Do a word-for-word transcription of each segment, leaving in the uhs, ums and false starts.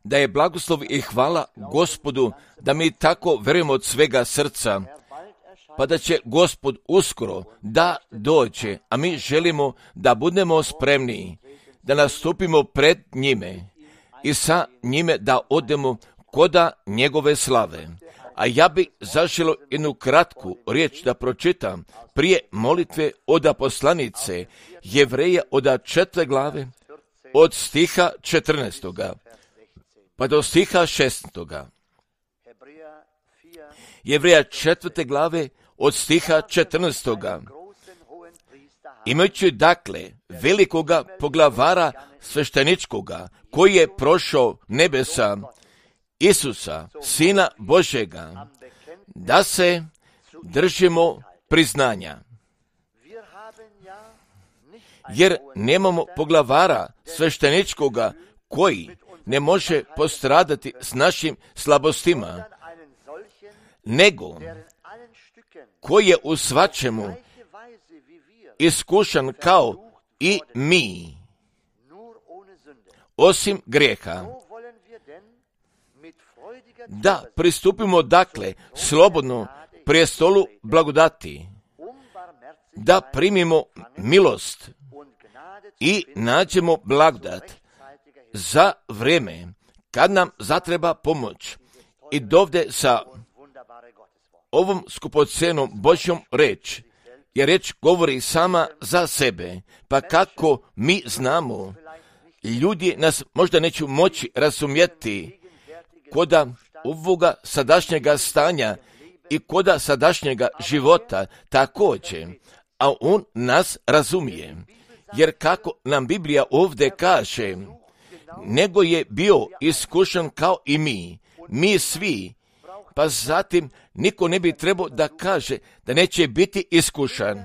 Da je blagoslov i hvala Gospodu, da mi tako verujemo od svega srca, pa da će Gospod uskoro da dođe, a mi želimo da budemo spremni, da nastupimo pred njime i sa njime da odemo koda njegove slave. A ja bi zaželio jednu kratku riječ da pročitam prije molitve od poslanice Jevreja od četvrte glave, od stiha četrnaestoga pa do stiha šesnaestoga. Jevreja četvrte glave od stiha četrnaestoga. Imajući dakle velikoga poglavara svešteničkoga, koji je prošao nebesa, Isusa, Sina Božjega, da se držimo priznanja. Jer nemamo poglavara svešteničkoga koji ne može postradati s našim slabostima, nego koji je u svačemu iskušan kao i mi, osim grijeha. Da pristupimo dakle slobodno prijestolu blagodati, da primimo milost i nađemo blagodat za vrijeme kad nam zatreba pomoć. I dovde sa ovom skupocenom Božjom reč, jer reč govori sama za sebe, pa kako mi znamo, ljudi nas možda neće moći razumjeti koda ovoga sadašnjega stanja i koda sadašnjega života također, a on nas razumije. Jer kako nam Biblija ovdje kaže, nego je bio iskušan kao i mi, mi svi, pa zatim niko ne bi trebao da kaže da neće biti iskušan.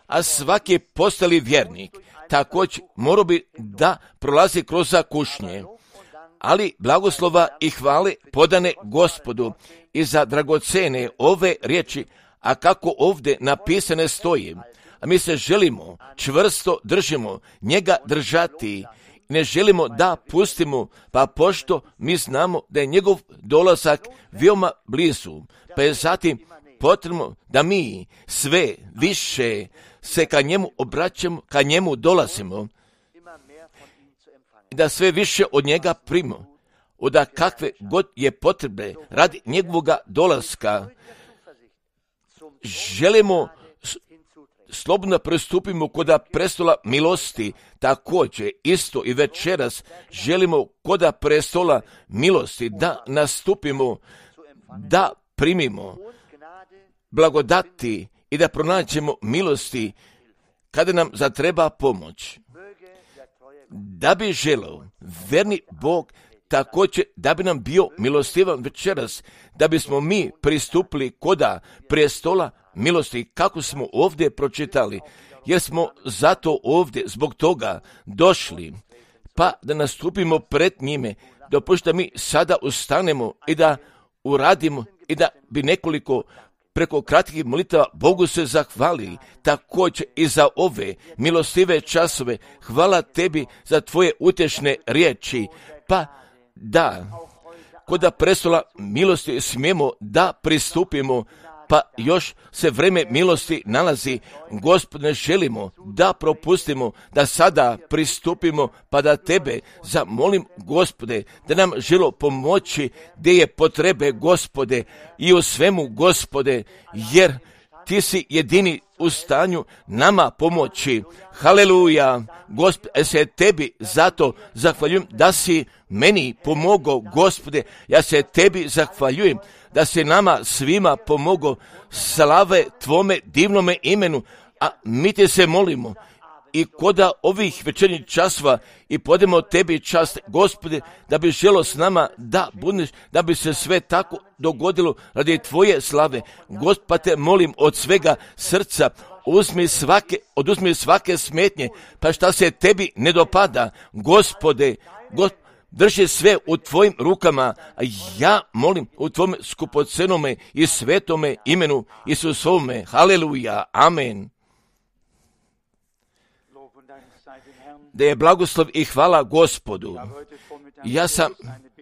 A svaki postali vjernik također morao bi da prolazi kroz kušnje. Ali blagoslova i hvale podane Gospodu i za dragocene ove riječi, a kako ovdje napisane stoji. A mi se želimo, čvrsto držimo, njega držati, ne želimo da pustimo, pa pošto mi znamo da je njegov dolazak veoma blizu, pa je zatim potrebno da mi sve više se ka njemu obraćamo, ka njemu dolazimo, da sve više od njega primimo, od kakve god je potrebe radi njegovoga dolaska. Želimo slobodno pristupimo koda prestola milosti, također isto i večeras želimo koda prestola milosti da nastupimo, da primimo blagodati i da pronađemo milosti kada nam zatreba pomoć. Da bi želeo verni Bog također da bi nam bio milostivan večeras, da bismo mi pristupili koda prestola milosti, kako smo ovdje pročitali, jer smo zato ovdje zbog toga došli, pa da nastupimo pred njime, dopušta mi sada ustanemo i da uradimo i da bi nekoliko preko kratkih molitava Bogu se zahvali, također i za ove milostive časove. Hvala tebi za tvoje utješne riječi, pa da koda prestola milosti smijemo da pristupimo, pa još se vreme milosti nalazi. Gospodine, želimo da propustimo, da sada pristupimo, pa da tebe zamolim, Gospode, da nam želo pomoći gdje je potrebe, Gospode, i u svemu, Gospode, jer ti si jedini u stanju nama pomoći. Haleluja, Gospode, se tebi zato zahvaljujem da si meni pomogao, Gospode, ja se tebi zahvaljujem da se nama svima pomogao, slave tvome divnome imenu, a mi te se molimo i koda ovih večernjih časova i podemo tebi čast, Gospode, da bi želo s nama da budeš, da bi se sve tako dogodilo radi tvoje slave. Gospod, pa te molim od svega srca, uzmi svake, oduzmi svake smetnje, pa šta se tebi ne dopada, Gospode, Gospod, drži sve u tvojim rukama, a ja molim u tvome skupocenome i svetome imenu Isusovome. Haleluja, amen. da je blagoslov i hvala Gospodu. Ja sam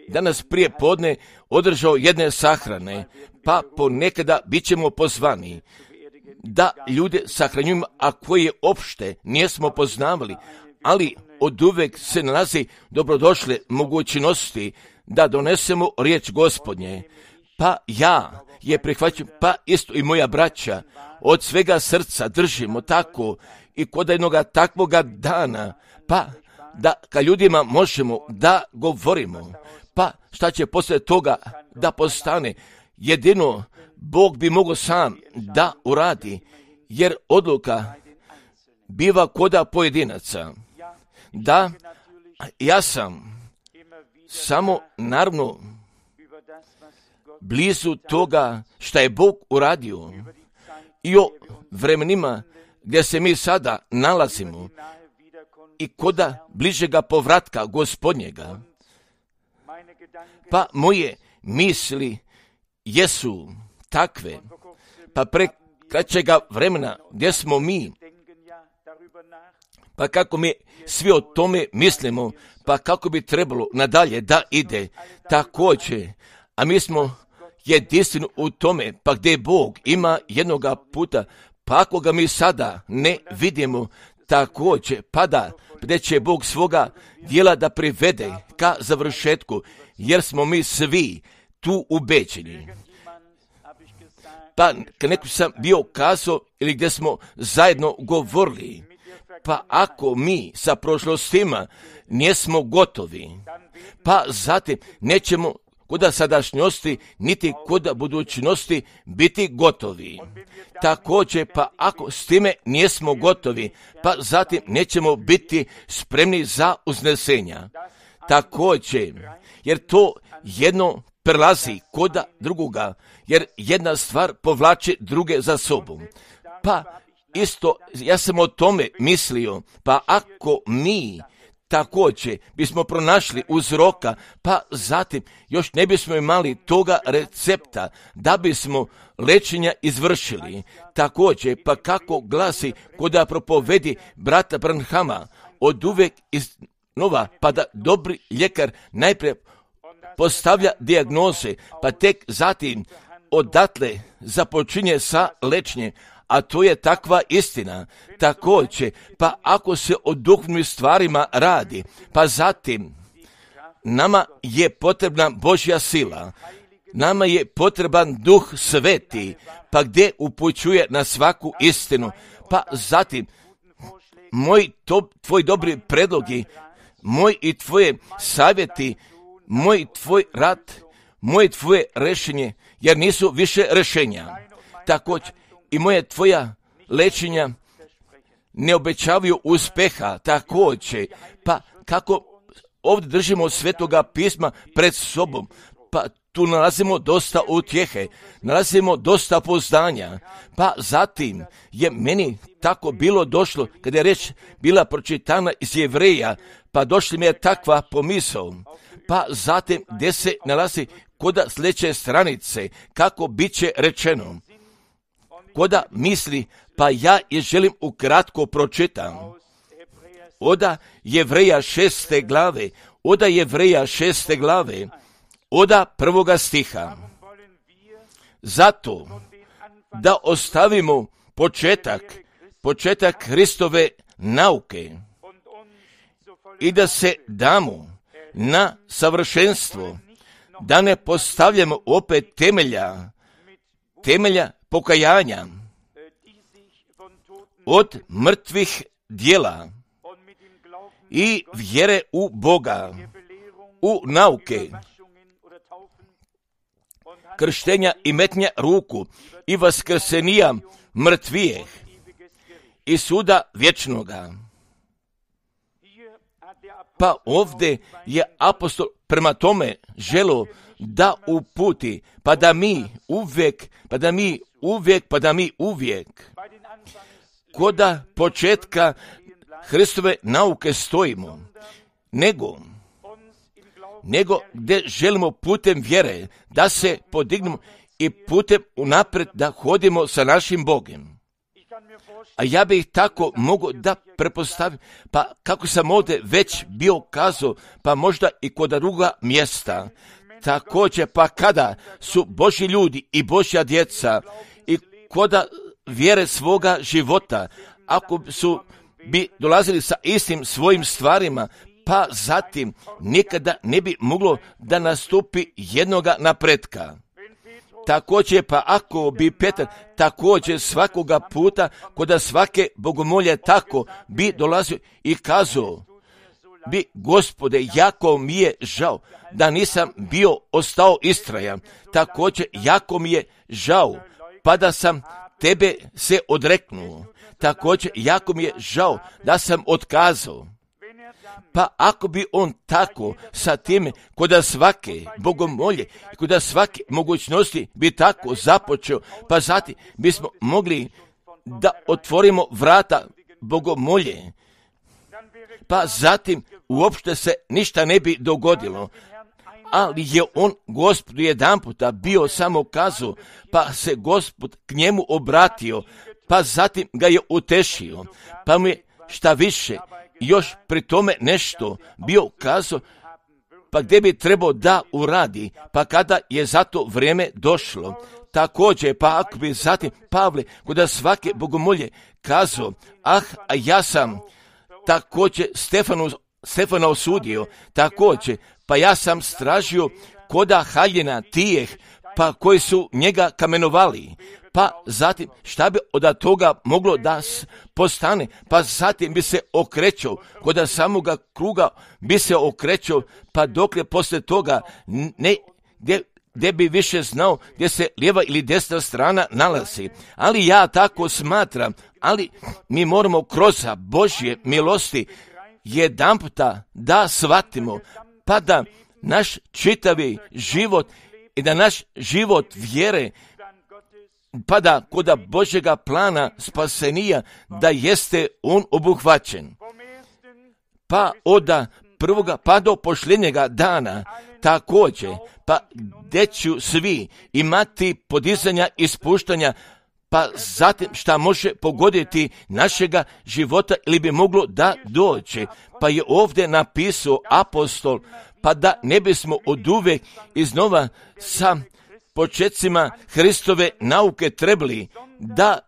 danas prije podne održao jedne sahrane, pa ponekada bit ćemo pozvani da ljude sahranjujemo, a koje opšte nijesmo poznavali, ali oduvek se nalazi dobrodošle mogućnosti da donesemo riječ Gospodnje. Pa ja je prihvaćam, pa isto i moja braća, od svega srca držimo tako i kod jednoga takvoga dana, pa da ka ljudima možemo da govorimo, pa šta će poslije toga da postane, jedino Bog bi mogao sam da uradi, jer odluka biva koda pojedinaca. Da, ja sam samo naravno blizu toga šta je Bog uradio i o vremenima gdje se mi sada nalazimo i koda bližega povratka Gospodnjega. Pa moje misli jesu takve, pa pre kraćega vremena gdje smo mi, pa kako mi svi o tome mislimo, pa kako bi trebalo nadalje da ide, također, a mi smo jedinstveni u tome, pa gdje Bog ima jednoga puta, pa ako ga mi sada ne vidimo, također, pa da, gdje će Bog svoga djela da privede ka završetku, jer smo mi svi tu ubeđeni. Pa kad neko sam bio kazao ili gdje smo zajedno govorili, pa ako mi sa prošlostima nismo gotovi, pa zatim nećemo koda sadašnjosti niti koda budućnosti biti gotovi. Također, pa ako s time nismo gotovi, pa zatim nećemo biti spremni za uznesenja. Također, jer to jedno prelazi koda drugoga, jer jedna stvar povlači druge za sobom. Pa isto, ja sam o tome mislio, pa ako mi također bismo pronašli uzroka, pa zatim još ne bismo imali toga recepta da bismo lečenja izvršili. Također, pa kako glasi koda propovedi brata Branhama, od uvek iz nova, pa da dobri ljekar najprije postavlja dijagnoze, pa tek zatim odatle započinje sa lečenjem, a to je takva istina. Također, pa ako se o duhovnim stvarima radi, pa zatim nama je potrebna Božja sila, nama je potreban Duh Sveti, pa gdje upućuje na svaku istinu, pa zatim moj to, tvoj dobri predlogi, moj i tvoje savjeti, moj tvoj rad, moje tvoje rešenje, jer nisu više rešenja. Također, i moje tvoja lečenja ne obećavaju uspeha, također, pa kako ovdje držimo od Svetoga pisma pred sobom, pa tu nalazimo dosta utjehe, nalazimo dosta poznanja, pa zatim je meni tako bilo došlo, kada je reč bila pročitana iz Jevreja, pa došli mi je takva pomisao, pa zatim gdje se nalazi koda sljedeće stranice, kako bit će rečeno, koda misli, pa ja je želim ukratko pročitam. Oda Jevreja šeste glave, oda Jevreja šeste glave, oda prvoga stiha. Zato da ostavimo početak, početak Hristove nauke i da se damo na savršenstvo, da ne postavljamo opet temelja, temelja pokajanja od mrtvih djela i vjere u Boga, u nauke, krštenja i metnja ruku i vaskrsenija mrtvijeh i suda vječnoga. Pa ovdje je apostol prema tome želo da uputi, pa da mi uvijek, pa da mi uvijek, pa da mi uvijek koda početka Hristove nauke stojimo, nego, nego gdje želimo putem vjere da se podignemo i putem unaprijed da hodimo sa našim Bogom. A ja bih tako mogu da prepostavim, pa kako sam ovdje već bio kazao, pa možda i kod druga mjesta. Također, pa kada su Božji ljudi i Božja djeca i koda vjere svoga života, ako su bi dolazili sa istim svojim stvarima, pa zatim nikada ne bi moglo da nastupi jednoga napretka. Također, pa ako bi Petar također svakoga puta koda svake bogomolje tako bi dolazio i kazao bi, Gospode, jako mi je žao da nisam bio ostao istrajan. Također, jako mi je žao pa da sam tebe se odreknuo. Također, jako mi je žao da sam otkazao. Pa ako bi on tako sa time koda svake bogomolje i koda svake mogućnosti bi tako započeo, pa zatim bismo mogli da otvorimo vrata bogomolje, pa zatim uopšte se ništa ne bi dogodilo. Ali je on Gospodu jedan puta bio samo kazao, pa se Gospod k njemu obratio, pa zatim ga je utešio, pa mu je šta više još pri tome nešto bio kazao, pa gdje bi trebao da uradi, pa kada je za to vrijeme došlo. Također, pa ako bi zatim Pavle kod svake bogomolje kazao, ah, a ja sam također Stefanu, Stefana osudio, također, pa ja sam stražio koda haljina tijeh, pa koji su njega kamenovali. Pa zatim šta bi od toga moglo da postane, pa zatim bi se okrećao, kod samoga kruga bi se okrećao, pa dokle poslije toga ne, gdje, gdje bi više znao gdje se lijeva ili desna strana nalazi. Ali ja tako smatram, ali mi moramo kroz Božje milosti jedanputa da shvatimo, pa da naš čitavi život i da naš život vjere, pa da kod Božjega plana spasenija da jeste on obuhvaćen. Pa od prvoga pa do posljednjega dana također, pa gdje ću svi imati podizanja i spuštanja, pa zatim šta može pogoditi našega života ili bi moglo da dođe. Pa je ovdje napisao apostol, pa da ne bismo oduvek iznova sa početcima Hristove nauke trebali da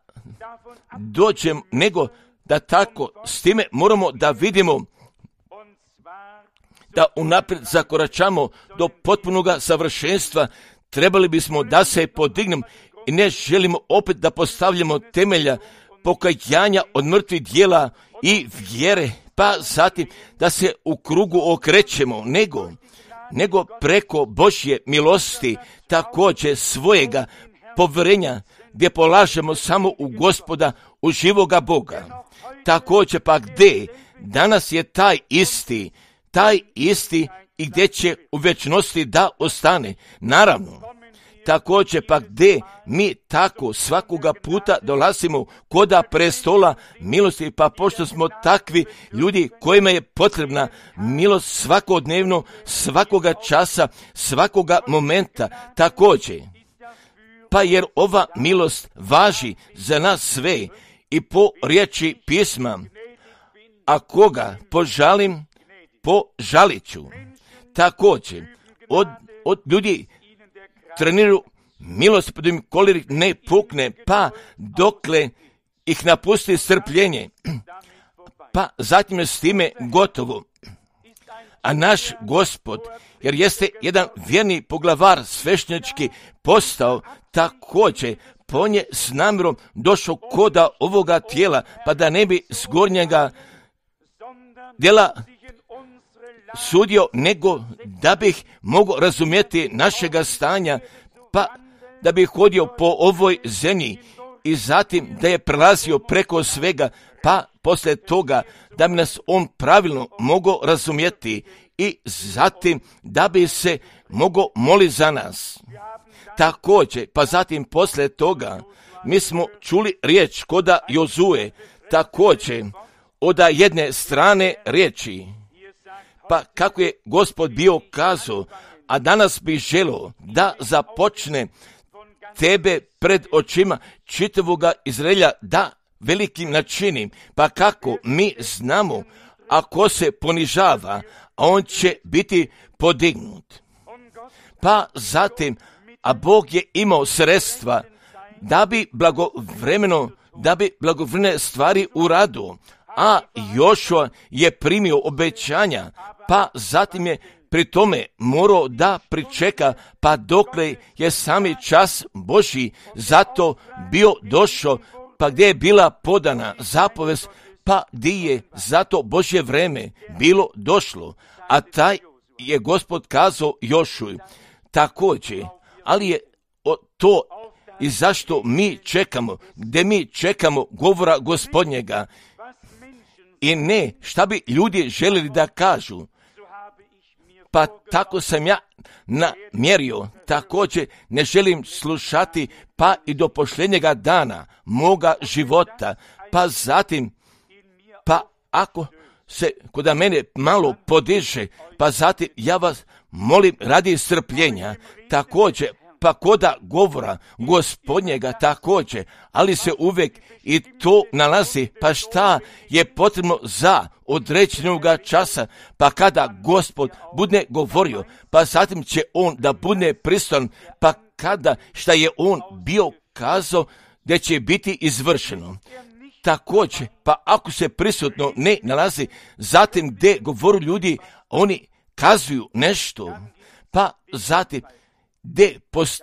dođemo, nego da tako s time moramo da vidimo da unaprijed zakoračamo do potpunoga savršenstva. Trebali bismo da se podignemo i ne želimo opet da postavljamo temelja pokajanja od mrtvih djela i vjere, pa zatim da se u krugu okrećemo, nego nego preko Božje milosti također svojega povjerenja gdje polažemo samo u Gospoda, u živoga Boga. Također pa gdje danas je taj isti, taj isti i gdje će u vječnosti da ostane. Naravno, također pa gdje mi tako svakoga puta dolazimo koda prestola milosti, pa pošto smo takvi ljudi kojima je potrebna milost svakodnevno, svakoga časa, svakoga momenta, također. Pa jer ova milost važi za nas sve i po riječi pisma, a koga požalim, požalit ću. Također, od, od ljudi treniraju milost, pa da im kolik ne pukne, pa dokle ih napusti strpljenje, pa zatim je s time gotovo. A naš Gospod, jer jeste jedan vjerni poglavar svešnjački postao, također on je s namjerom došao koda ovoga tijela, pa da ne bi s gornjega djela sudio, nego da bih mogao razumjeti našega stanja, pa da bih hodio po ovoj zemlji i zatim da je prelazio preko svega, pa poslije toga da bi nas on pravilno mogao razumjeti i zatim da bi se mogao moliti za nas. Također, pa zatim poslije toga mi smo čuli riječ koda Jozue, također od jedne strane riječi, pa kako je Gospod bio kazao, a danas bih želio da započne tebe pred očima čitavoga Izraelja da velikim načini, pa kako mi znamo, ako se ponižava, on će biti podignut. Pa zatim, a Bog je imao sredstva da bi blagovremeno, da bi blagovremene stvari uradio, a Jošua je primio obećanja, pa zatim je pri tome morao da pričeka, pa dokle je sami čas Božji zato bio došao, pa gdje je bila podana zapovest, pa gdje je zato Božje vreme bilo došlo, a taj je Gospod kazao Jošuju također, ali je to i zašto mi čekamo, gdje mi čekamo govora Gospodnjega i ne šta bi ljudi željeli da kažu. Pa tako sam ja namjerio, također ne želim slušati pa i do posljednjega dana moga života, pa zatim, pa ako se kod mene malo podiže, pa zatim ja vas molim radi strpljenja, također, pa koda govora Gospodnjega također, ali se uvijek i to nalazi, pa šta je potrebno za određenoga časa, pa kada Gospod bude govorio, pa zatim će on da bude pristojan, pa kada šta je on bio kazao da će biti izvršeno. Također, pa ako se prisutno ne nalazi, zatim gdje govoru ljudi, oni kazuju nešto, pa zatim gdje post,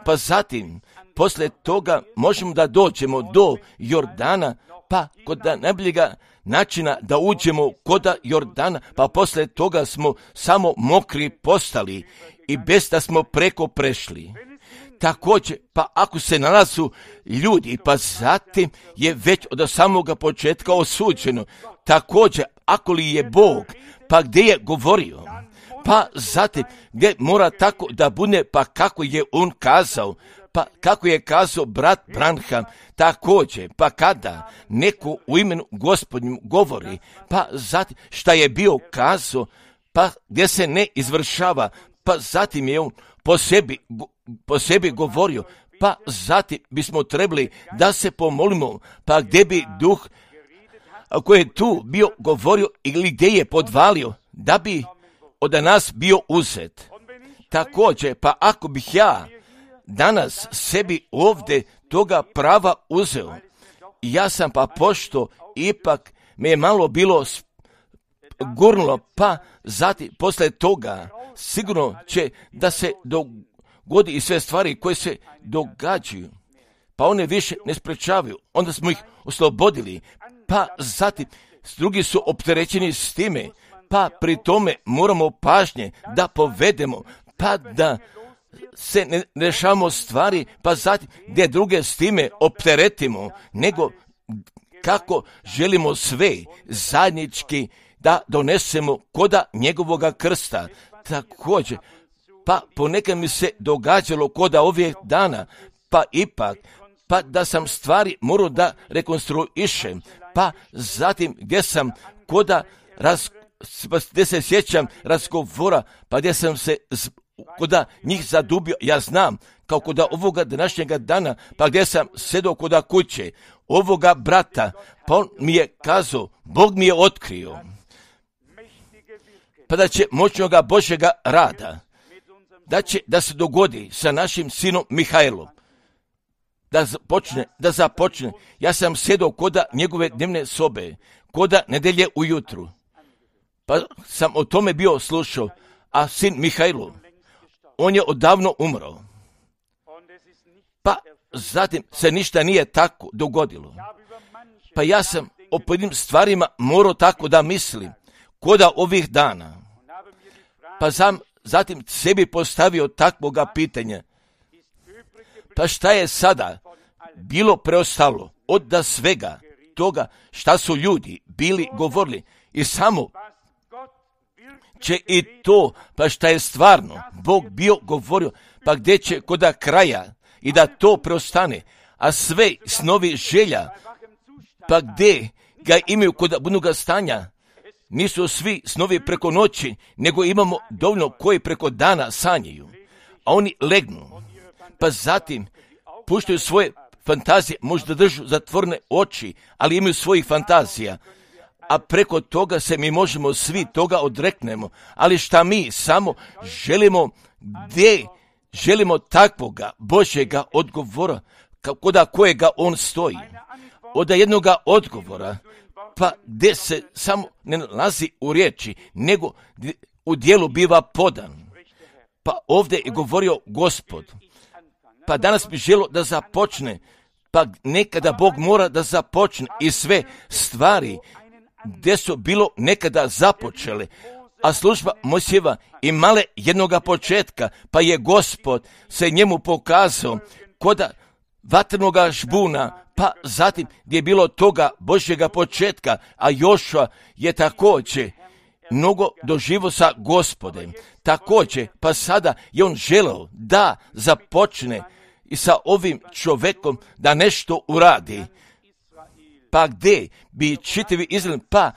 pa zatim poslije toga možemo da dođemo do Jordana, pa kod najboljega načina da uđemo kod Jordana, pa poslije toga smo samo mokri postali i bez da smo preko prešli. Također, pa ako se nalazu ljudi, pa zatim je već od samoga početka osuđeno. Također, ako li je Bog, pa gdje je govorio, pa zatim gdje mora tako da bude, pa kako je on kazao, pa kako je kazao brat Branham, također, pa kada neko u imenu Gospodnjem govori, pa zatim šta je bio kazao, pa gdje se ne izvršava, pa zatim je on po sebi, po sebi govorio, pa zatim bismo trebali da se pomolimo, pa gdje bi duh koji je tu bio govorio ili gdje je podvalio, da bi od nas bio uzet. Također, pa ako bih ja danas sebi ovdje toga prava uzeo, ja sam pa pošto ipak me je malo bilo gurnulo, pa zatim poslije toga sigurno će da se dogodi i sve stvari koje se događaju, pa one više ne sprečavaju, onda smo ih oslobodili, pa zatim drugi su opterećeni s time, pa pri tome moramo pažnje da povedemo, pa da se ne rešavamo stvari, pa zatim gdje druge s time opteretimo, nego kako želimo sve zajednički da donesemo koda njegovoga krsta. Također, pa ponekad mi se događalo koda ovih dana, pa ipak, pa da sam stvari morao da rekonstruišem, pa zatim gdje sam koda raz, gdje se sjećam razgovora, pa gdje sam se koda njih zadubio, ja znam, kao koda ovoga današnjega dana, pa gdje sam sedao koda kuće, ovoga brata, pa on mi je kazao, Bog mi je otkrio, pa da će moćnoga Božjega rada, da će da se dogodi sa našim sinom Mihajlom, da započne, da započne. Ja sam sedao koda njegove dnevne sobe, koda nedelje ujutru, pa sam o tome bio slušao, a sin Mihajlo, on je odavno umro, pa zatim se ništa nije tako dogodilo. Pa ja sam o pojedinim stvarima morao tako da mislim, koda ovih dana, pa sam zatim sebi postavio takvoga pitanja, pa šta je sada bilo preostalo od da svega toga šta su ljudi bili govorili i samo će i to, pa šta je stvarno Bog bio govorio, pa gdje će koda kraja i da to preostane, a sve snovi želja, pa gdje ga imaju kod budućega stanja, nisu svi snovi preko noći, nego imamo dovoljno koji preko dana sanjaju, a oni legnu, pa zatim puštaju svoje fantazije možda držu zatvorene oči, ali imaju svojih fantazija. A preko toga se mi možemo svi toga odreknemo. Ali šta mi samo želimo, gdje želimo takvoga Božjega odgovora, kod kojega on stoji. Od jednoga odgovora, pa gdje se samo ne nalazi u riječi, nego u dijelu biva podan. Pa ovdje je govorio Gospod. Pa danas bi želio da započne, pa nekada Bog mora da započne i sve stvari gdje su bilo nekada započele, a služba Mojsijeva imala jednoga početka, pa je Gospod se njemu pokazao koda vatrenoga žbuna, pa zatim gdje je bilo toga Božjega početka, a Jošua je također mnogo doživo sa Gospodem. Također, pa sada je on želeo da započne i sa ovim čovjekom da nešto uradi. Pa gdje bi čitavi Izrael, pa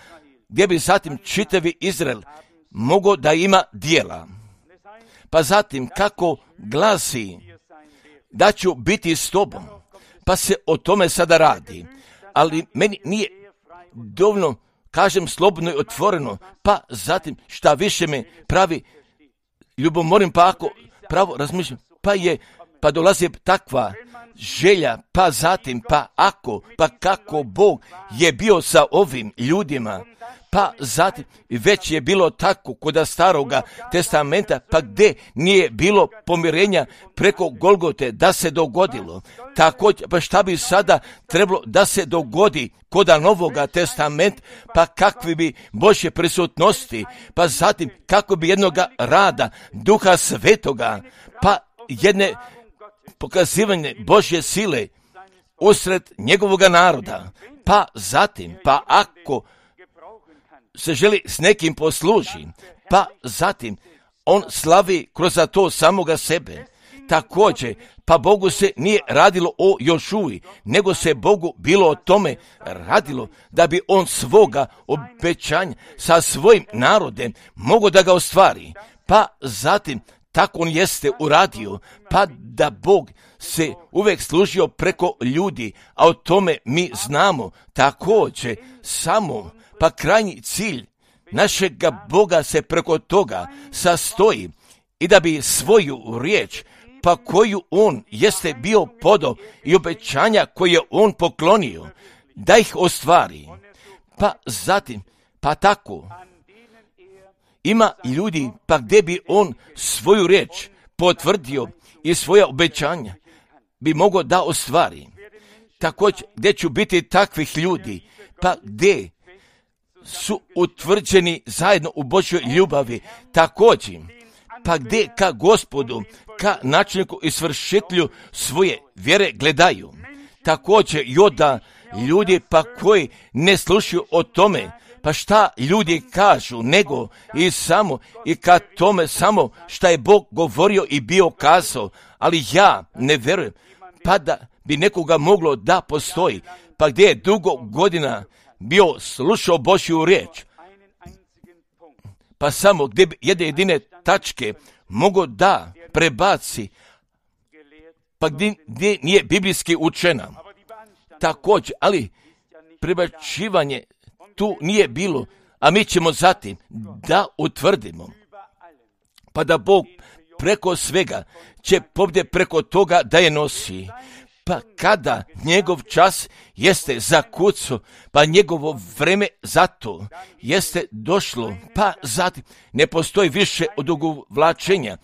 gdje bi zatim čitavi Izrael mogao da ima dijela. Pa zatim kako glasi da ću biti s tobom, pa se o tome sada radi. Ali meni nije dovoljno, kažem slobodno i otvoreno, pa zatim šta više me pravi ljubomorim, pa ako pravo razmišljam, pa je, pa dolazi takva želja, pa zatim, pa ako, pa kako Bog je bio sa ovim ljudima, pa zatim već je bilo tako kod staroga testamenta, pa gdje nije bilo pomirenja preko Golgote da se dogodilo. Također, pa šta bi sada trebalo da se dogodi kod novoga testamenta, pa kakvi bi Božje prisutnosti, pa zatim kako bi jednoga rada Duha Svetoga, pa jedne pokazivanje Božje sile usred njegovoga naroda, pa zatim, pa ako se želi s nekim posluži, pa zatim on slavi kroz to samoga sebe. Također, pa Bogu se nije radilo o Jošuji, nego se Bogu bilo o tome radilo da bi on svoga obećanja sa svojim narodem mogao da ga ostvari. Pa zatim, tako on jeste uradio, pa da Bog se uvijek služio preko ljudi, a o tome mi znamo također samo, pa krajnji cilj našega Boga se preko toga sastoji i da bi svoju riječ, pa koju on jeste bio podao i obećanja koje je on poklonio, da ih ostvari. Pa zatim, pa tako, ima ljudi, pa gdje bi on svoju riječ potvrdio i svoja obećanja bi mogao da ostvari. Također, gdje ću biti takvih ljudi, pa gdje su utvrđeni zajedno u Božjoj ljubavi, također, pa gdje ka Gospodu, ka načelniku i svršitelju svoje vjere gledaju. Također, joda ljudi pa koji ne slušaju o tome, pa šta ljudi kažu, nego i samo i ka tome samo šta je Bog govorio i bio kazao, ali ja ne vjerujem, pa da bi nekoga moglo da postoji, pa gdje je dugo godina bio slušao Božju riječ, pa samo gdje bi jedne jedine tačke mogo da prebaci, pa gdje, gdje nije biblijski učena. Također, ali prebacivanje tu nije bilo, a mi ćemo zatim da utvrdimo, pa da Bog preko svega će pobjede preko toga da je nosi. Pa kada njegov čas jeste zakucao, pa njegovo vreme za to jeste došlo, pa zatim ne postoji više odugovlačenja,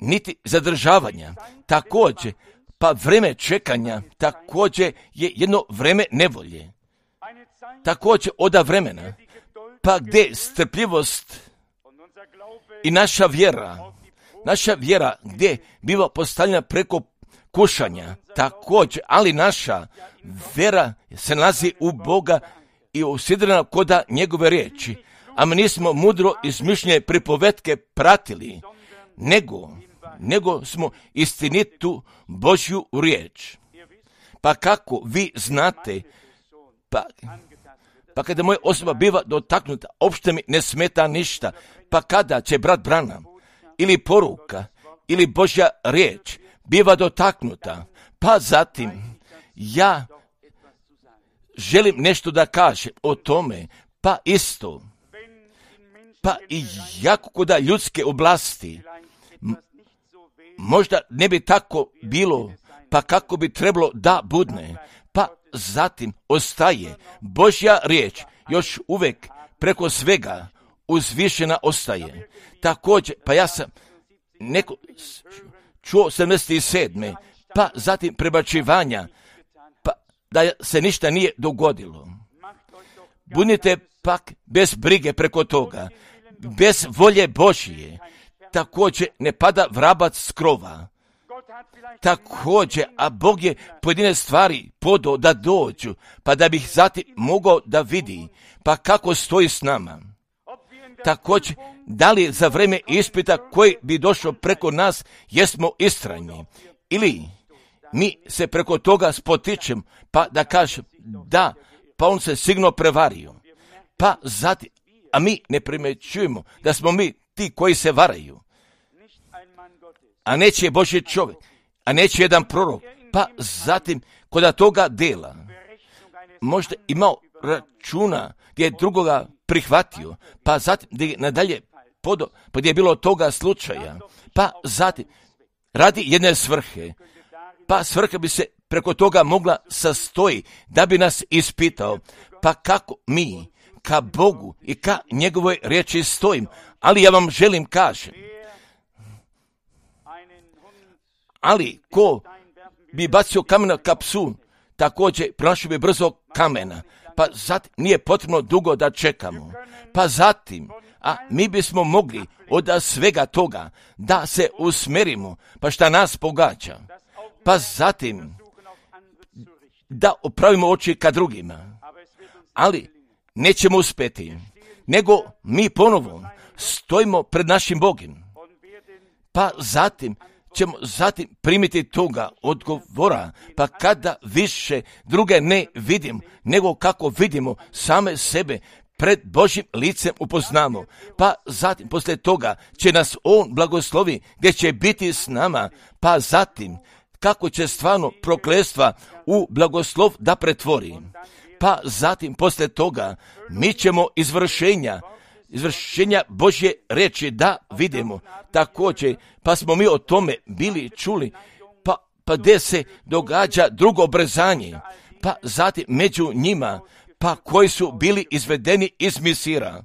niti zadržavanja. Također, pa vreme čekanja, također je jedno vreme nevolje. Također oda vremena, pa gdje strpljivost i naša vjera, naša vjera gdje biva postavljena preko kušanja, također, ali naša vjera se nalazi u Boga i usidrena koda njegove riječi, a mi nismo mudro izmišljene pripovetke pratili, nego, nego smo istinitu Božju riječ. Pa kako vi znate, pa, pa kada moja osoba biva dotaknuta, opšte mi ne smeta ništa, pa kada će brat Branham ili poruka ili Božja riječ biva dotaknuta, pa zatim ja želim nešto da kažem o tome, pa isto, pa i jako koda ljudske oblasti, m- možda ne bi tako bilo, pa kako bi trebalo da budne, pa zatim ostaje Božja riječ, još uvijek preko svega uzvišena ostaje. Također, pa ja sam neko čuo sedamdeset sedme pa zatim prebačivanja, pa da se ništa nije dogodilo. Budite pak bez brige preko toga, bez volje Božije. Također ne pada vrabac s krova. Također, a Bog je pojedine stvari podao da dođu, pa da bih zatim mogao da vidi, pa kako stoji s nama. Također, da li za vrijeme ispita koji bi došao preko nas, jesmo istrajni, ili mi se preko toga spotičemo, pa da kažem da, pa on se sigurno prevario, pa zatim, a mi ne primjećujemo da smo mi ti koji se varaju, a neće Božji čovjek, a neće jedan prorok, pa zatim kod toga dela možda imao računa gdje je drugoga prihvatio, pa zatim gdje je nadalje podo, pa gdje je bilo toga slučaja, pa zatim radi jedne svrhe, pa svrha bi se preko toga mogla sastoji da bi nas ispitao, pa kako mi ka Bogu i ka njegovoj riječi stojim, ali ja vam želim kažem, ali ko bi bacio kamena ka psu, također pronašao bi brzo kamena, pa zatim nije potrebno dugo da čekamo, pa zatim, a mi bismo mogli od svega toga da se usmerimo, pa šta nas pogađa, pa zatim da opravimo oči ka drugima, ali nećemo uspjeti, nego mi ponovo stojimo pred našim Bogom, pa zatim ćemo zatim primiti toga odgovora, pa kada više druge ne vidim, nego kako vidimo same sebe pred Božjim licem upoznamo, pa zatim poslije toga će nas On blagoslovi gdje će biti s nama, pa zatim kako će stvarno prokletstva u blagoslov da pretvori, pa zatim poslije toga mi ćemo izvršenja izvršenja Božje riječi da vidimo. Također, pa smo mi o tome bili čuli, pa, pa gdje se događa drugo obrzanje, pa zatim među njima, pa koji su bili izvedeni iz Misira,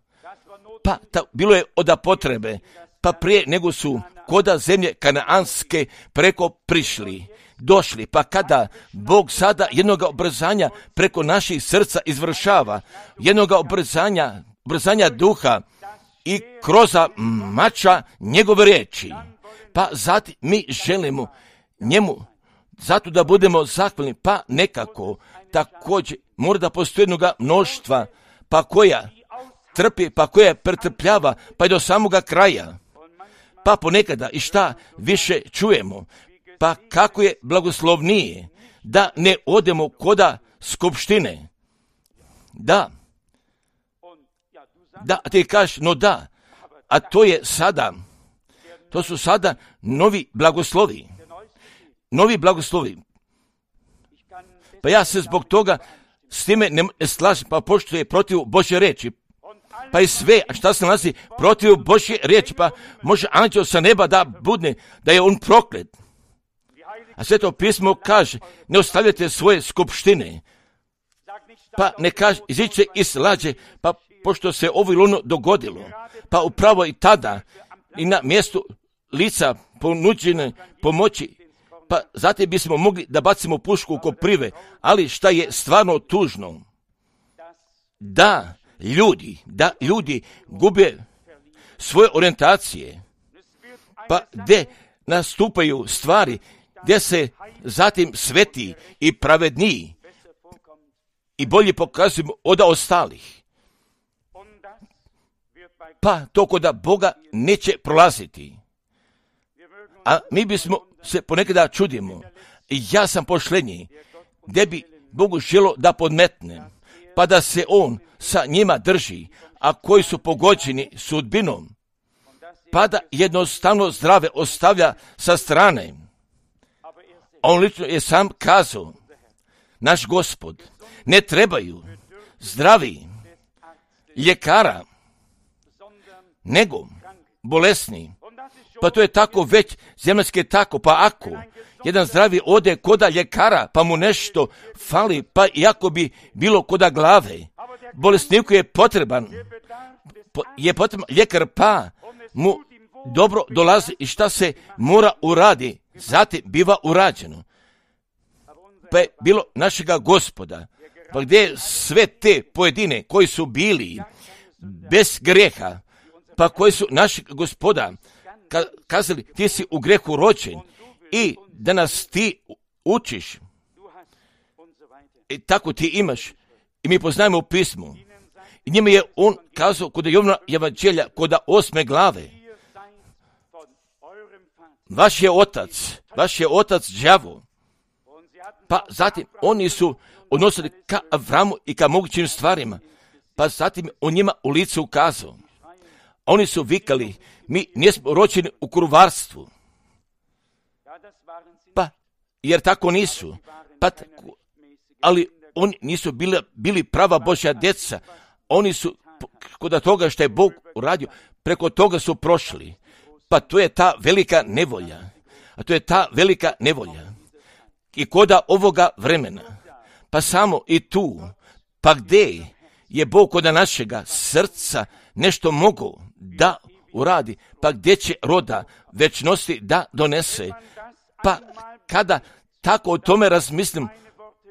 pa ta, bilo je oda potrebe, pa prije nego su koda zemlje kanaanske preko prišli, došli, pa kada Bog sada jednoga obrzanja preko naših srca izvršava, jednoga obrzanja, obrzanja duha i kroz mača njegove riječi, pa zatim mi želimo njemu zato da budemo zahvalni, pa nekako također mora da postoji jednoga mnoštva, pa koja trpi, pa koja pretrpljava, pa i do samoga kraja, pa ponekada i šta više čujemo, pa kako je blagoslovnije da ne odemo koda skupštine, da, da, ti kažeš, no da, a to je sada, to su sada novi blagoslovi, novi blagoslovi, pa ja se zbog toga s time ne slažem, pa pošto je protiv Božje riječi, pa i sve, a šta se nalazi protiv Božje riječi, pa može anđeo sa neba da budne, da je on proklet. A Sveto pismo kaže, ne ostavljate svoje skupštine, pa ne kaže, iziće iz lađe, pa pošto se ovo ili ono dogodilo, pa upravo i tada i na mjestu lica ponuđene pomoći, pa zatim bismo mogli da bacimo pušku u koprive, ali šta je stvarno tužno, da ljudi, da ljudi gube svoje orijentacije, pa gdje nastupaju stvari, gdje se zatim sveti i pravedniji i bolje pokazujemo od ostalih. Pa to kod Boga neće prolaziti. A mi bismo se ponekada čudimo. Ja sam pošlenji, gdje bi Bogu želo da podmetne, pa da se On sa njima drži, a koji su pogođeni sudbinom, pa da jednostavno zdrave ostavlja sa strane. A on lično je sam kazao, naš Gospod, ne trebaju zdravi ljekara, nego bolesni. Pa to je tako već, zemaljski je tako, pa ako jedan zdravi ode koda ljekara, pa mu nešto fali, pa iako bi bilo koda glave, bolesniku je potreban, je potreban ljekar, pa mu dobro dolazi i šta se mora uradi, zatim biva urađeno. Pa je bilo našega Gospoda, pa gdje je sve te pojedine koji su bili bez greha, pa koji su našeg Gospoda kazali, ti si u grehu rođen i da nas ti učiš. I tako ti imaš. I mi poznajemo u pismu. I njima je on kazao kod Jovana evanđelja, kod osme glave. Vaš je otac, vaš je otac đavo. Pa zatim oni su odnosili ka Avramu i ka mogućim stvarima. Pa zatim on njima u lice ukazao. Oni su vikali, mi nismo rođeni u kruvarstvu. Pa, jer tako nisu. Pa, ali oni nisu bili, bili prava Božja djeca. Oni su, kod toga što je Bog uradio, preko toga su prošli. Pa to je ta velika nevolja. A to je ta velika nevolja. I koda ovoga vremena. Pa samo i tu. Pa gdje je Bog koda našega srca nešto mogu da uradi, pa gdje će roda večnosti da donese. Pa kada tako o tome razmislim,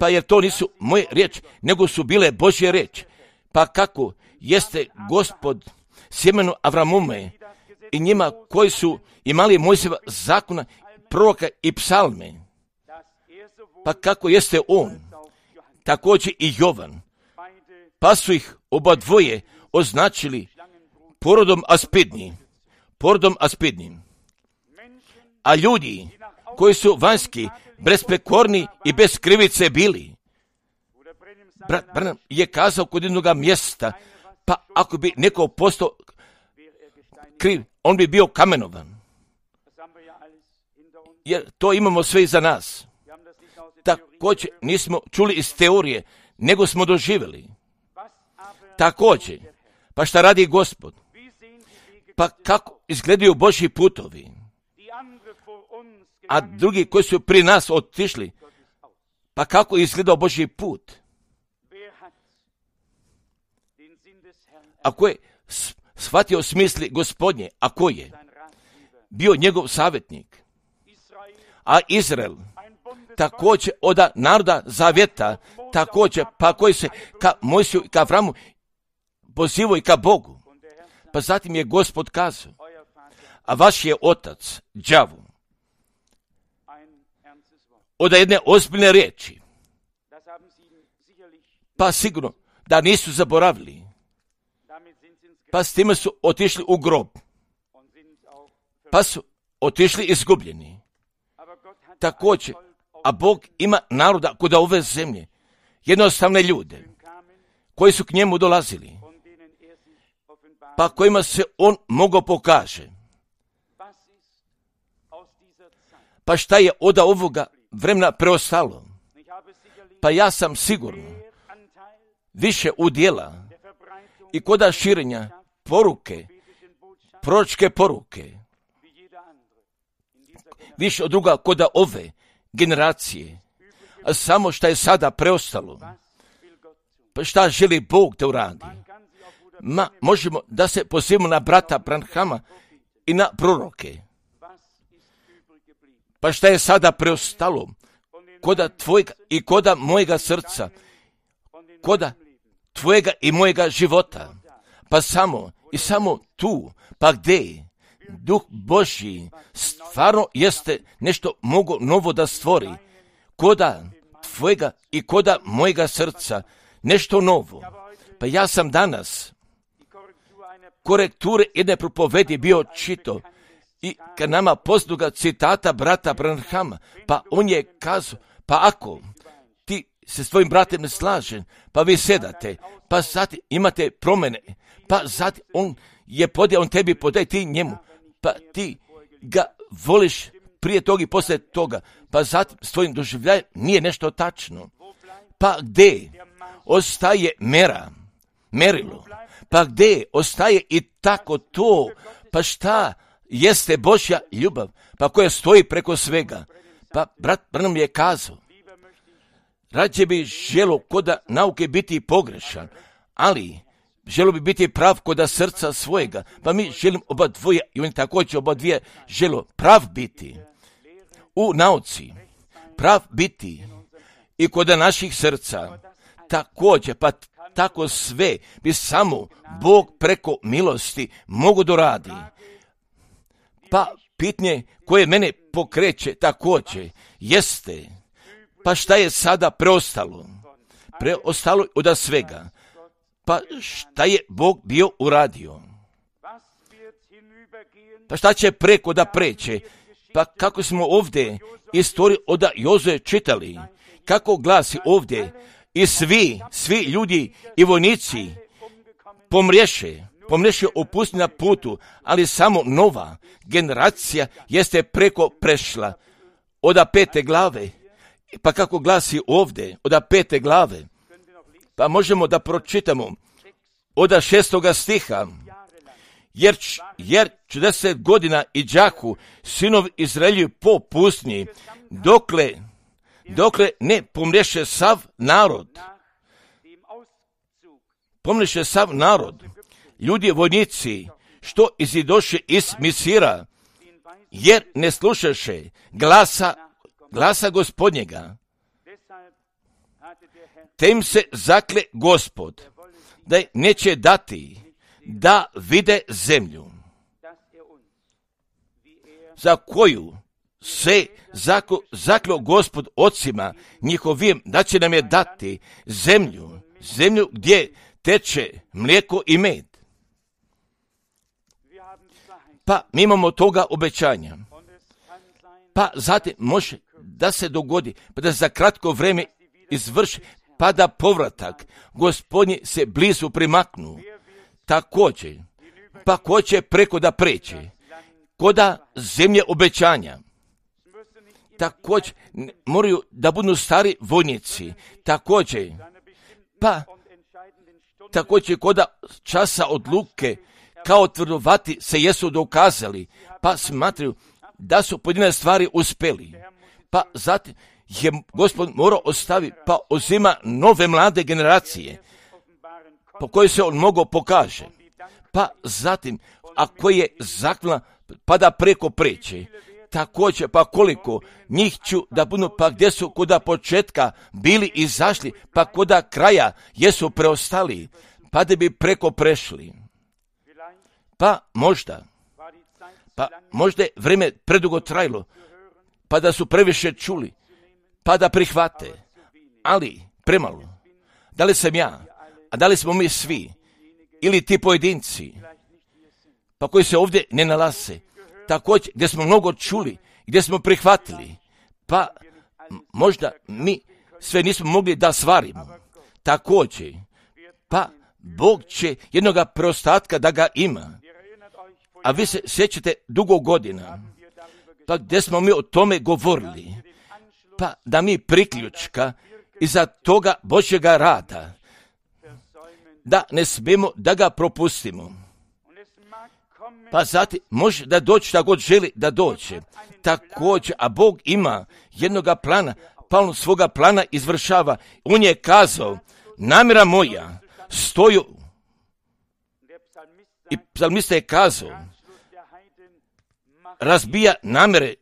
pa jer to nisu moje riječi, nego su bile Božje riječi. Pa kako jeste Gospod sjemenu Avramume i njima koji su imali Mojsijeva zakona, proroka i psalme. Pa kako jeste on, također i Jovan. Pa su ih oba dvoje označili porodom aspidnim, porodom aspidnim. A ljudi koji su vanjski, besprekorni i bez krivice bili. Brat Branham je kazao kod jednog mjesta, pa ako bi neko postao kriv, on bi bio kamenovan. Jer to imamo sve iza nas. Također nismo čuli iz teorije, nego smo doživjeli. Također, pa šta radi Gospod? Pa kako izgledaju Božji putovi? A drugi koji su pri nas otišli, pa kako je izgledao Božji put? Ako je shvatio smisli Gospodnje, a ko je bio njegov savjetnik? A Izrael, također od naroda zavjeta, također, pa koji se ka Mojsiju i ka Avramu pozivao i ka Bogu. Pa zatim je Gospod kazao, a vaš je otac đavo. Od jedne ozbiljne riječi. Pa sigurno da nisu zaboravili. Pa s time su otišli u grob. Pa su otišli izgubljeni. Također, a Bog ima naroda kod ove zemlje, jednostavne ljude, koji su k njemu dolazili, pa kojima se on mogao pokaže. Pa šta je od ovoga vremena preostalo? Pa ja sam sigurno više udjela i koda širenja poruke, proročke poruke, više od druga koda ove generacije, a samo šta je sada preostalo. Pa šta želi Bog da uradi? Ma, možemo da se pozivamo na brata Branhama i na proroke. Pa šta je sada preostalo? Koda tvojega i koda mojega srca, koda tvojega i mojega života. Pa samo i samo tu, pa gdje Duh Božji stvarno jeste nešto mogo novo da stvori. Koda tvojega i koda mojega srca, nešto novo. Pa ja sam danas korekture jedne propovedi bio čito i kad nama poznaga citata brata Branhama, pa on je kazao, pa ako ti se s tvojim bratem ne slažen, pa vi sedate, pa zatim imate promjene, pa zatim on je podijel, on tebi podaje, ti njemu, pa ti ga voliš prije toga i poslije toga, pa zatim s tvojim doživljajem nije nešto tačno. Pa gdje ostaje mera, merilo? Pa gdje ostaje i tako to? Pa šta jeste Božja ljubav? Pa koja stoji preko svega? Pa brat Branham je kazao, rađe bi želo koda nauke biti pogrešan, ali želo bi biti prav koda srca svojega. Pa mi želim oba dvoje, i oni također oba dvije želo prav biti u nauci, prav biti i koda naših srca. Također, pa tako sve bi samo Bog preko milosti mogu doradi. Pa pitanje koje mene pokreće također jeste, pa šta je sada preostalo? Preostalo od svega. Pa šta je Bog bio uradio? Pa šta će preko da preće? Pa kako smo ovdje istoriju od Jozue čitali, kako glasi ovdje, i svi, svi ljudi i vojnici pomriješe, pomriješe opusti na putu, ali samo nova generacija jeste preko prešla od pete glave. Pa kako glasi ovdje, od pete glave, pa možemo da pročitamo od šestoga stiha, jer, jer četrdeset godina i đaku sinov Izraelju po pustinji, dokle, dokle ne pomriješe sav narod, pomriješe sav narod, ljudi vojnici, što izidoše iz Misira, jer ne slušaše glasa, glasa Gospodnjega. Te im se zakle Gospod, da neće dati da vide zemlju, za koju se zaklo, zaklo Gospod ocima njihovim, da će nam je dati zemlju, zemlju gdje teče mlijeko i med. Pa mi imamo toga obećanja. Pa zatim može da se dogodi, pa da za kratko vrijeme izvrši, pa da povratak Gospodnji se blizu primaknu. Također, pa ko će preko da preće, koda zemlje obećanja. Također, moraju da budu stari vojnici. Također, pa također koda časa odluke kao tvrdovati se jesu dokazali, pa smatraju da su pojedine stvari uspjeli. Pa zatim je Gospod morao ostaviti, pa uzima nove mlade generacije, po kojoj se on mogao pokaže. Pa zatim, ako je zakljena, pa da preko preće. Također, pa koliko njih ću da budu, pa gdje su koda početka bili izašli, pa koda kraja jesu preostali, pa da bi preko prešli. Pa možda, pa možda je vrijeme predugo trajalo, pa da su previše čuli, pa da prihvate, ali premalo. Da li sam ja, a da li smo mi svi, ili ti pojedinci, pa koji se ovdje ne nalaze, također gdje smo mnogo čuli, gdje smo prihvatili, pa možda mi sve nismo mogli da stvarimo. Također, pa Bog će jednoga preostatka da ga ima. A vi se sjećate dugo godina, pa gdje smo mi o tome govorili, pa da mi priključka iza toga Božjega rada, da ne smijemo da ga propustimo. Pa zatim može da doći da god želi da doće. Također, a Bog ima jednoga plana, pa on svoga plana izvršava. On je kazao, namjera moja stoju, i psalmista je kazao, razbija namjere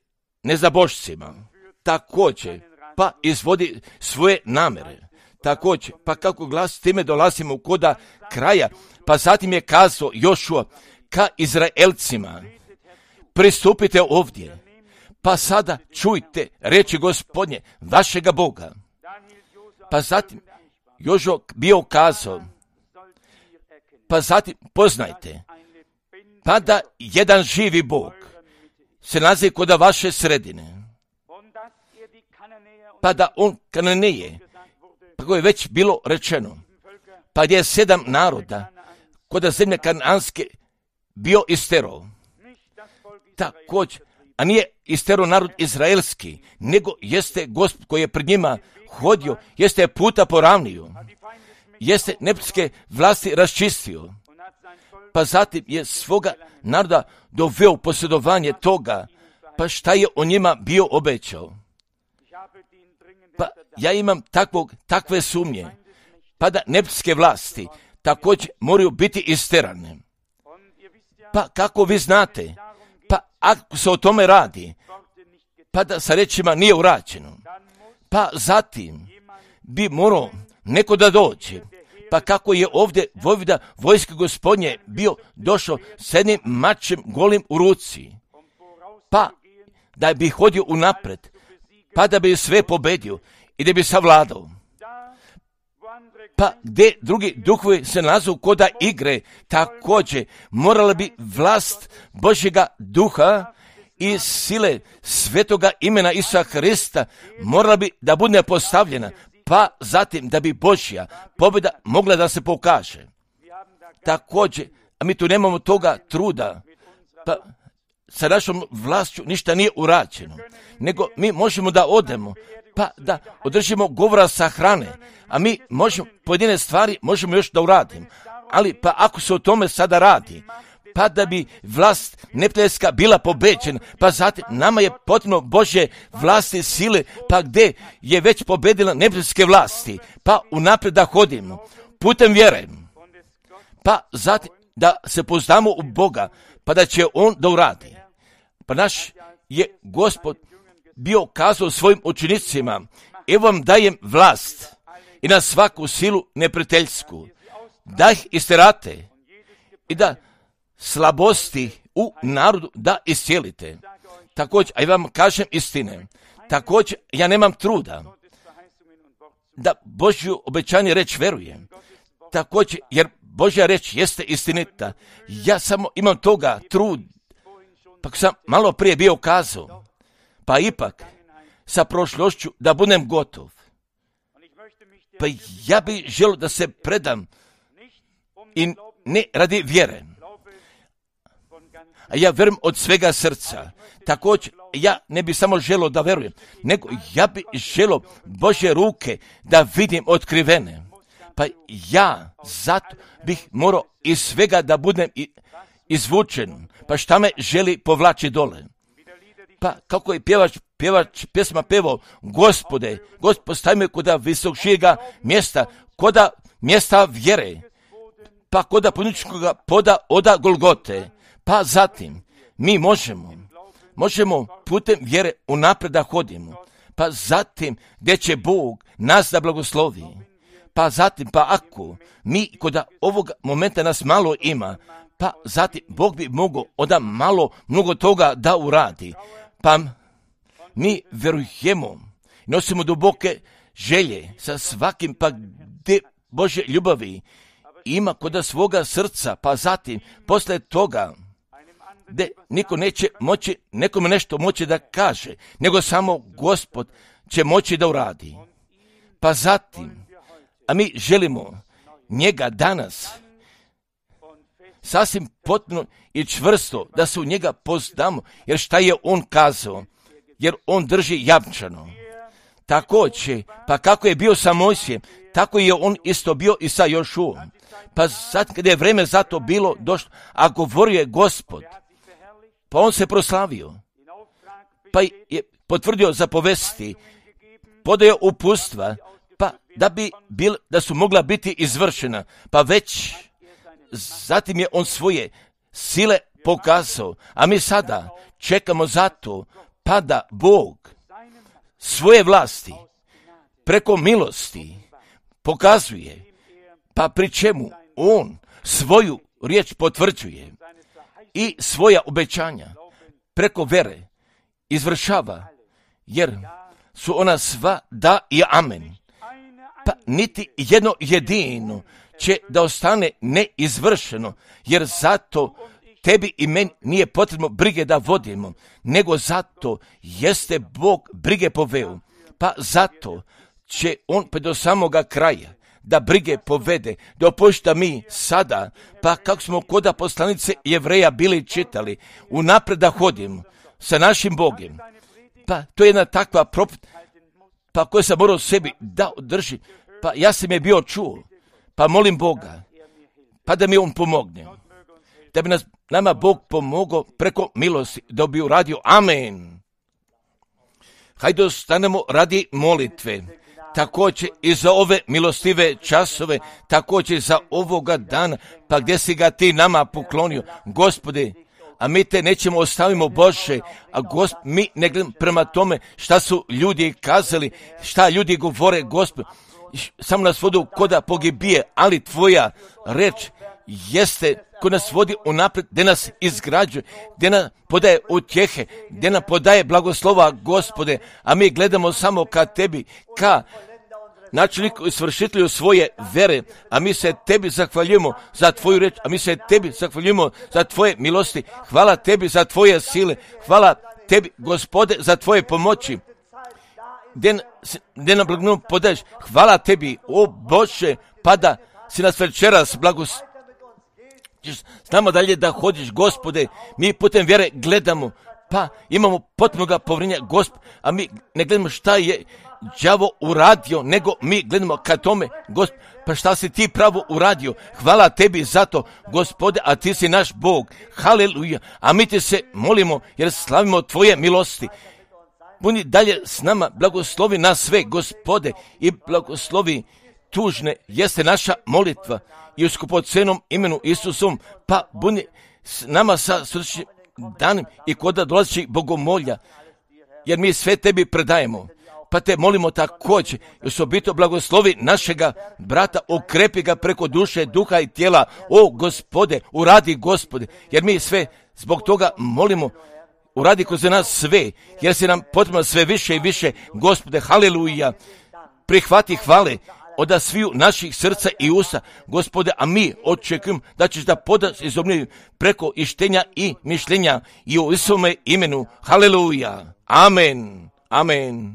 nezabožcima. Također, pa izvodi svoje namjere. Također, pa kako glas time dolazimo koda kraja, pa zatim je kazao Jošua ka Izraelcima, pristupite ovdje, pa sada čujte reči Gospodnje, vašega Boga. Pa zatim Jošua bio kazao, pa zatim poznajte, pa da jedan živi Bog se nalazi kod vaše sredine, pa da on Kananeje, pa koje je već bilo rečeno, pa gdje je sedam naroda kod zemlje Kananske bio isterao. Također, a nije istero narod izraelski, nego jeste Gospod koji je pred njima hodio, jeste puta poravnio, jeste neprijateljske vlasti raščistio, pa zatim je svoga naroda doveo u posjedovanje toga, pa šta je o njima bio obećao. Pa ja imam takvog, takve sumnje, pa da neprijateljske vlasti također moraju biti isterane. Pa kako vi znate, pa ako se o tome radi, pa da sa rečima nije urađeno, pa zatim bi morao neko da dođe, pa kako je ovdje vojvoda vojske Gospodnje bio došao s jednim mačem golim u ruci, pa da bi hodio unapred, pa da bi sve pobedio i da bi savladao. Pa gdje drugi duhovi se nalazu koda igre, također morala bi vlast Božjega duha i sile svetoga imena Isusa Hrista morala bi da bude postavljena, pa zatim da bi Božja pobjeda mogla da se pokaže. Također, a mi tu nemamo toga truda, pa sa našom vlašću ništa nije urađeno, nego mi možemo da odemo, pa da održimo govora sa hrane, a mi možemo, pojedine stvari možemo još da uradimo, ali pa ako se o tome sada radi, pa da bi vlast neprijateljska bila pobeđena, pa zatim nama je potrebno Božje vlasti sile, pa gdje je već pobedila neprijateljske vlasti, pa unaprijed da hodimo putem vjere, pa zatim da se pouzdamo u Boga, pa da će On da uradi. Pa naš je Gospod bio kazao svojim učenicima, evo vam dajem vlast i na svaku silu neprijateljsku, da ih isterate i da slabosti u narodu da iscijelite. Također, a ja vam kažem istine, također ja nemam truda da Božju obećanje reč verujem, također jer Božja reč jeste istinita, ja samo imam toga trud, pa sam malo prije bio kazao, pa ipak sa prošlošću da budem gotov. Pa ja bih želio da se predam i ne radi vjere. A ja vjerujem od svega srca. Također, ja ne bih samo želio da verujem, nego ja bih želio Božje ruke da vidim otkrivene. Pa ja zato bih morao iz svega da budem izvučen. Pa šta me želi povlači dole? Pa kako je pjevač, pjevač pjesma pevao, Gospode, Gospod stavi me koda visokšijega mjesta, koda mjesta vjere, pa koda puničkoga poda oda Golgote. Pa zatim mi možemo, možemo putem vjere unaprijed da hodimo, pa zatim gdje će Bog nas da blagoslovi. Pa zatim, pa ako mi koda ovog momenta nas malo ima, pa zatim Bog bi mogao onda malo mnogo toga da uradi. Pa mi verujemo, nosimo duboke želje sa svakim, pa gdje Božje ljubavi ima koda svoga srca, pa zatim posle toga gdje niko neće moći, nekome nešto moći da kaže, nego samo Gospod će moći da uradi. Pa zatim, a mi želimo njega danas sasvim potpuno i čvrsto da se u njega poznamo, jer šta je on kazao, jer on drži jamčano. Također, pa kako je bio sa Mojsijem, tako je on isto bio i sa Jošuom. Pa sad kada je vreme za to bilo došlo, a govorio je Gospod, pa on se proslavio, pa je potvrdio zapovesti, podao upustva, pa da bi bil, da su mogla biti izvršena, pa već zatim je on svoje sile pokazao, a mi sada čekamo za to, pa da Bog svoje vlasti preko milosti pokazuje, pa pri čemu on svoju riječ potvrđuje i svoja obećanja preko vere izvršava, jer su ona sva da i amen. Pa niti jedno jedino će da ostane neizvršeno, jer zato tebi i meni nije potrebno brige da vodimo, nego zato jeste Bog brige poveo. Pa zato će on pa do samoga kraja da brige povede, da opušta mi sada, pa kako smo koda poslanice Jevreja bili čitali, unaprijed da hodimo, sa našim Bogom. Pa to je jedna takva propit, pa koju sam morao sebi da održi. Pa ja sam je bio čuo, pa molim Boga, pa da mi on pomogne. Da bi nas, nama Bog pomogao preko milosti, da bi uradio. Amen. Hajde ostanemo radi molitve. Također i za ove milostive časove, također za ovoga dana, pa gdje si ga ti nama poklonio, Gospode, a mi te nećemo ostavimo Bože, a Gospod, mi ne gledamo prema tome šta su ljudi kazali, šta ljudi govore, Gospod, samo nas vodi koda pogibije, ali tvoja reč jeste ko nas vodi unaprijed, gdje nas izgrađuje, gdje nam podaje utjehe, gdje nam podaje blagoslova, Gospode, a mi gledamo samo ka tebi, ka načelniku i svršitelju svoje vere, a mi se tebi zahvaljujemo za tvoju reč, a mi se tebi zahvaljujemo za tvoje milosti. Hvala tebi za tvoje sile, hvala tebi, Gospode, za tvoje pomoći. Gdje, gdje nam blagoslov podaješ, hvala tebi, o Bože, pa da si nas večeras blagos. Znamo dalje da hodiš, Gospode, mi putem vjere gledamo, pa imamo potpunoga povjerenja, Gospod, a mi ne gledamo šta je đavo uradio, nego mi gledamo ka tome, Gospod, pa šta si ti pravo uradio. Hvala tebi za to, Gospode, a ti si naš Bog. Haleluja. A mi ti se molimo jer slavimo tvoje milosti. Budi dalje s nama, blagoslovi nas sve, Gospode, i blagoslovi tužne jeste naša molitva i u skupocenom imenu Isusom, pa budi s nama sa srčnim danom i koda dolazi bogomolja, jer mi sve tebi predajemo. Pa te molimo također, osobito blagoslovi našega brata, okrepi ga preko duše, duha i tijela. O Gospode, uradi, Gospode, jer mi sve zbog toga molimo, uradi kroz nas sve, jer se nam potrebno sve više i više, Gospode, haleluja. Prihvati hvale od sviju naših srca i usta, Gospode, a mi očekujemo da ćeš da podaš izobniju preko ištenja i mišljenja i u Isome imenu. Haleluja. Amen. Amen.